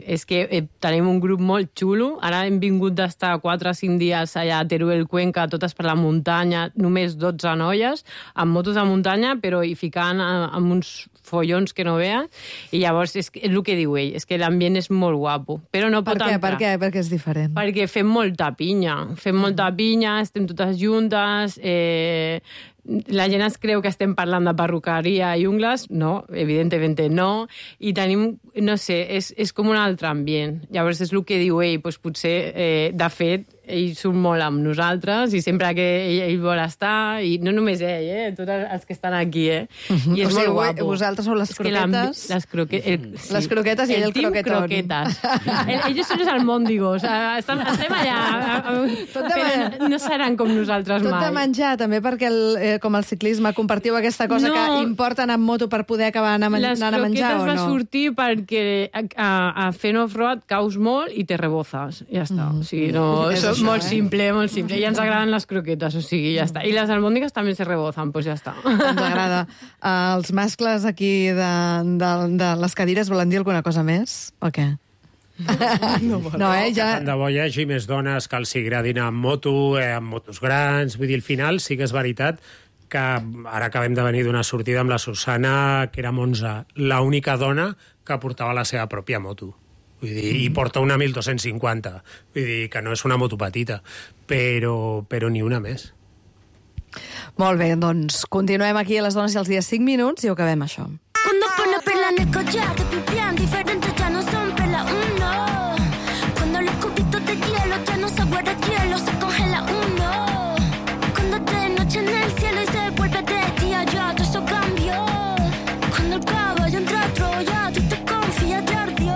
és que tenim un grup molt xulo. Ara hem vingut d'estar 4 o 5 dies allà a Teruel, Cuenca, totes per la muntanya, només 12 noies, amb motos de muntanya, però hi ficant amb uns follons que no veas, i llavors és el que diu ell, és que l'ambient és molt guapo, però no pot entrar. Per què? Perquè és diferent. Perquè fem molta pinya, estem totes juntes, la gent es creu que estem parlant de perruqueria i ungles, no, evidentment no, i tenim, no sé, és com un altre ambient. Llavors és el que diu ell, doncs potser, de fet, ell surt molt amb nosaltres i sempre que ell vol estar, i no només ell, tots els que estan aquí, i és molt guapo. Vosaltres sou les croquetes. Les croquetes i ell el croquetón. Croquetes. Ells són els almòndigos. Estem allà. No seran com nosaltres mai. Tot de menjar, també, perquè com el ciclisme compartiu aquesta cosa que importa anar amb moto per poder acabar anant a menjar, o no? Les croquetes va sortir perquè fent off-road caus molt i te rebozes. Ja està. O sigui, no... És molt simple, molt simple. I ens agraden les croquetes, o sigui, ja està. I les almòndigues també se rebozan, doncs ja està. Ens agrada. Els mascles aquí de les cadires volen dir alguna cosa més? O què? No, ja... Tant de bo hi hagi més dones que els agradin amb moto, amb motos grans. Vull dir, al final sí que és veritat que ara acabem de venir d'una sortida amb la Susana, que era Monza, l'única dona que portava la seva pròpia moto. Vull dir, i porta una 1250. Vull dir, que no és una moto petita, però ni una més. Molt bé, doncs continuem aquí a Les Dones i els Dies 5 minuts i ho acabem això. Cuando pone perla en el collar, te pipián diferentes ya no son perla uno. Cuando los cubitos de hielo ya no se guarda hielo, se congela uno. Cuando de noche en el cielo y se vuelve de día, ya todo eso cambió. Cuando el caballo entra a Troya, tú te confías de ardió.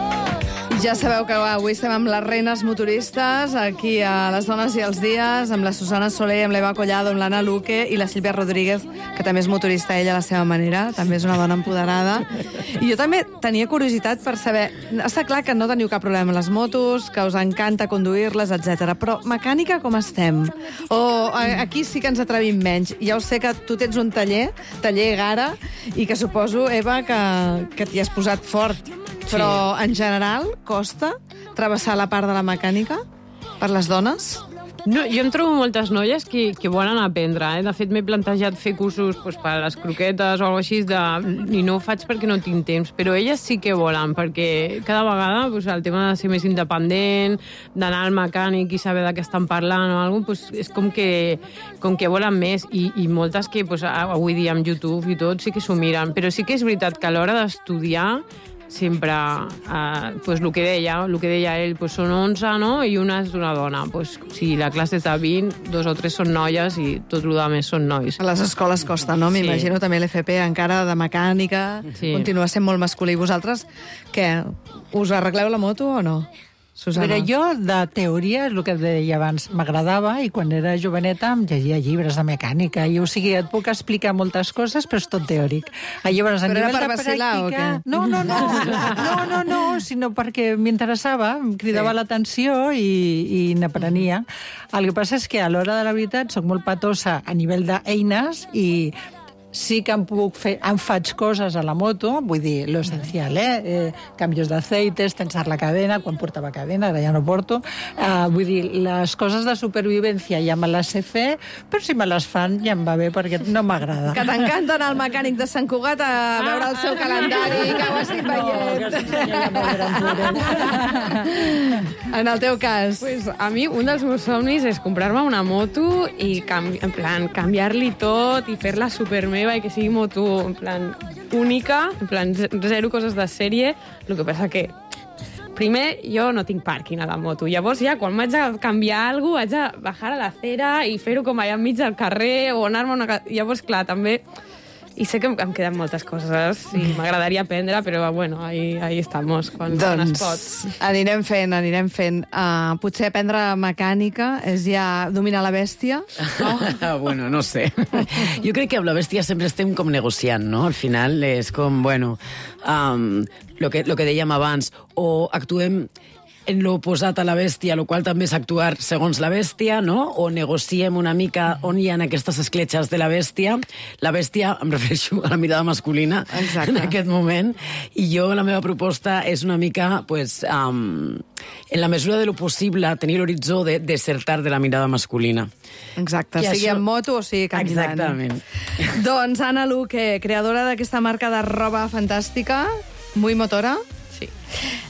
Ja sabeu que avui estem amb les reines motoristes, aquí a Les Dones i els Dies, amb la Susana Soler, amb l'Eva Collado, amb l'Anna Luque i la Sílvia Rodríguez, que també és motorista ella a la seva manera, també és una dona empoderada. I jo també tenia curiositat per saber... Està clar que no teniu cap problema amb les motos, que us encanta conduir-les, etc. Però mecànica com estem? O aquí sí que ens atrevim menys. Ja ho sé que tu tens un taller Gara, i que suposo, Eva, que t'hi has posat fort. Però, en general, costa travessar la part de la mecànica per les dones? No, jo em trobo moltes noies que volen aprendre. De fet, m'he plantejat fer cursos per a les croquetes o alguna cosa així, i no ho faig perquè no tinc temps, però elles sí que volen, perquè cada vegada el tema de ser més independent, d'anar al mecànic i saber de què estan parlant o alguna cosa, és com que volen més, i moltes que avui dia amb YouTube i tot sí que s'ho miren, però sí que és veritat que a l'hora d'estudiar sempre, el que deia ell, són 11, no? I una és una dona. Si la classe és de 20, 2 o 3 són noies i tot el que més són nois. A les escoles costa, no? M'imagino també l'FP encara de mecànica, continua sent molt masculí. Vosaltres, què? Us arregleu la moto o no? Susana. Però jo, de teoria, és el que deia abans, m'agradava, i quan era joveneta em llegia llibres de mecànica, i o sigui, et puc explicar moltes coses, però és tot teòric. Llavors, a però nivell era per de vacilar, pràctica... o què? No, sinó perquè m'interessava, em cridava l'atenció i n'aprenia. El que passa és que a l'hora de la veritat soc molt patosa a nivell d'eines i sí que em faig coses a la moto, vull dir, lo esencial, canvios d'aceites, tensar la cadena, quan portava cadena, ara ja no porto, vull dir, les coses de supervivència ja me les sé fer, però si me les fan ja em va bé, perquè no m'agrada. Que t'encanta anar al mecànic de Sant Cugat a veure el seu calendari, que ho estic veient. En el teu cas? Pues a mi un dels meus somnis és comprar-me una moto i canviar-li tot i fer-la supermeva i que sigui moto en plan única, en plan zero coses de sèrie. El que passa que primer jo no tinc pàrquing a la moto, llavors ja quan m'haig de canviar alguna cosa haig de bajar a l'acera i fer-ho com allà enmig del carrer o anar-me a una... Llavors, clar, també I sé que em queden moltes coses i m'agradaria aprendre, però bueno, ahí estamos, quan es pot. Anirem fent. Potser aprendre mecànica és ja dominar la bèstia? Bueno, no sé. Jo crec que amb la bèstia sempre estem com negociant, no? Al final és com, bueno, lo que dèiem abans, o actuem en l'oposat a la bèstia, el qual també és actuar segons la bèstia, no? O negociem una mica on hi ha aquestes escletxes de la bèstia. La bèstia, em refereixo a la mirada masculina. Exacte. En aquest moment. I jo, la meva proposta és una mica, pues, en la mesura de lo possible, tenir l'horitzó de desertar de la mirada masculina. Exacte, sigui en moto o sigui caminant. Exactament. Doncs Anna Luque, creadora d'aquesta marca de roba fantàstica, Muy Motora. Sí.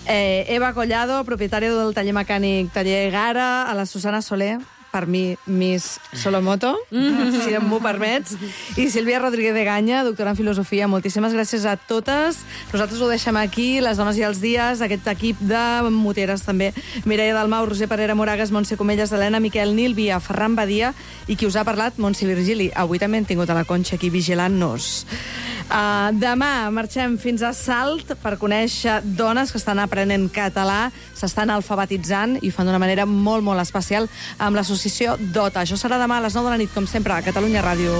Eva Collado, propietària del taller mecànic Taller Gara, a la Susana Soler, per mi, Miss Solomoto, si m'ho permets, i Sílvia Rodríguez de Ganya, doctora en filosofia. Moltíssimes gràcies a totes. Nosaltres ho deixem aquí, les dones i els dies, aquest equip de moteres també. Mireia Dalmau, Roser Parera Moragas, Montse Comelles, Helena Miquel, Nil Via, Ferran Badia, i qui us ha parlat, Montse Virgili. Avui també hem tingut a la Conxa aquí vigilant-nos. Demà marxem fins a Salt per conèixer dones que estan aprenent català, s'estan alfabetitzant i ho fan d'una manera molt, molt especial amb l'associació DOTA. Això serà demà a les 9 de la nit, com sempre, a Catalunya Ràdio.